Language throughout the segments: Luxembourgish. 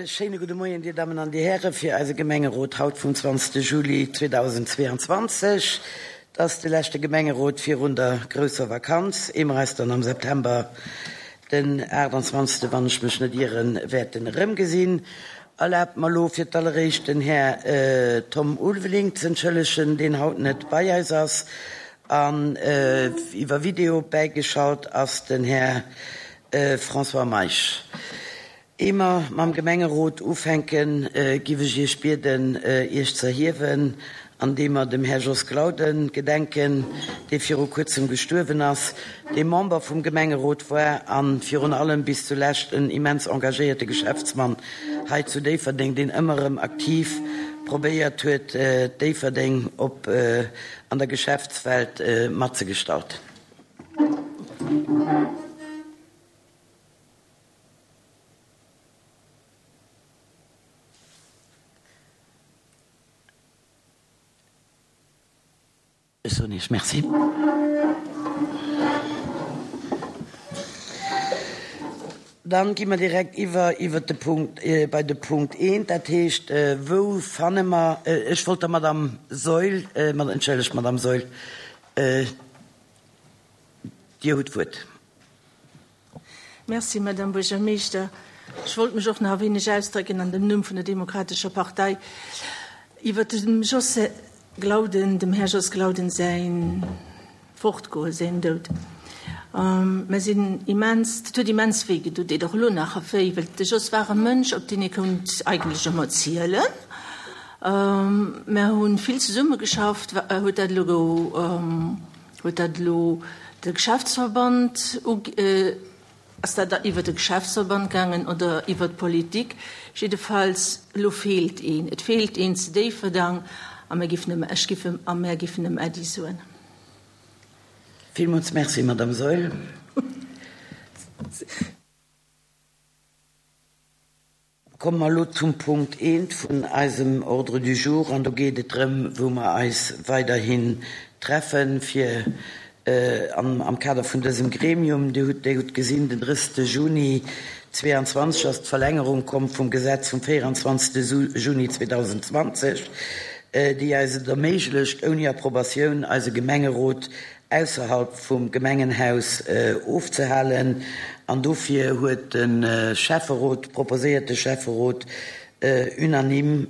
Schéine gudde Moien, Dir Dammen an Dir Hären, fir eise Gemengerot haut vum 20. Juli 2022. Et ass de leschte Gemengerot virun der grousser Vakanz, ehe mer eis dann am September, den 28. wann ech mech net ieren, wäerten erëmgesinn. Erlaabt mer elo fir d'alleréischt den Här Tom Ulveling z'entschëllegen, deen haut net bei eis ass, an iwwer Video bäigeschalt ass den Här François Meisch. Ehe mer mam Gemengerot ufänken, giff ech Iech bieden, Iech z'erhiewen, andeem mer dem Här Jos Glauden gedenken, dee viru kuerzem gestuerwen ass, dee Member vum Gemengerot war an virun allem bis zulescht en immens engagéierte Geschäftsmann hei zu Déifferdeng, deen ëmmer erëm aktiv probéiert huet, Déifferdeng op an der Geschäftswelt matzegestalten. Ech soen Iech Merci. Dann gi mer direkt iwwer iwwert de Punkt, bei de Punkt eent, dat heescht, wou fanne mer, ech wollt der Madame Saeul, entschëllegt, Madame Saeul, Dir hutt d'Wuert. Merci, Madame Buergermeeschter. Ech wollt mech och nach e wéineg ausdrécken an dem Numm vun der Demokratescher Partei iwwert dem Jos Glauden, dem Här Jos Glauden säin Fortgoen, säin Doud. Mer sinn immens, dat huet immens wéi gedoen, deet och elo nach wéi, well de Jos war e Mënsch, op deen ee konnt eigentlech ëmmer zielen. Mer hu vill zesummegeschafft, huet dat elo Huet dat elo de Geschäftsverband ass dat da iwwer de Geschäftsverband gaangen oder iwwer d'Politik? Jiddefalls, elo feelt een. Et feelt een zu Déifferdang a mir giffen em, ech giff em a mär giffen em Äddi soen. Villmools Merci, Madame Saeul. Komme mer elo zum Punkt eent vun eisem Ordre du jour, an do geet et drëm, wou mer eis weiderhin treffen, fir am Kader vun dësem Gremium, Dir hutt, Dir hutt gesinn, den 30. Juni 2022 ass d'Verlängerung komm vum Gesetz vum 24. Juni 2020, déi eis et erméiglecht, ouni Approbatioun eise Gemengerot ausserhalb vum Gemengenhaus ofzehalen an dofir huet de Schäfferot, proposéiert de Schäfferot unanime,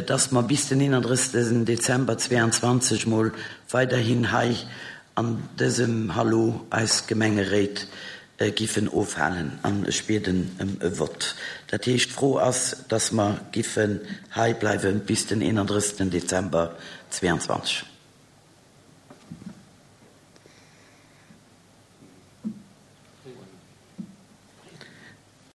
dass mer bis den 31. Dezember 22 mol weiderhin hei an dësem Hallo eis Gemengeréit giffen ofhalen. An ech bieden ëm e Vott. Dat heescht, d'Fro ass, dass mer giffen hei bleiwe bis den 31. Dezember 22.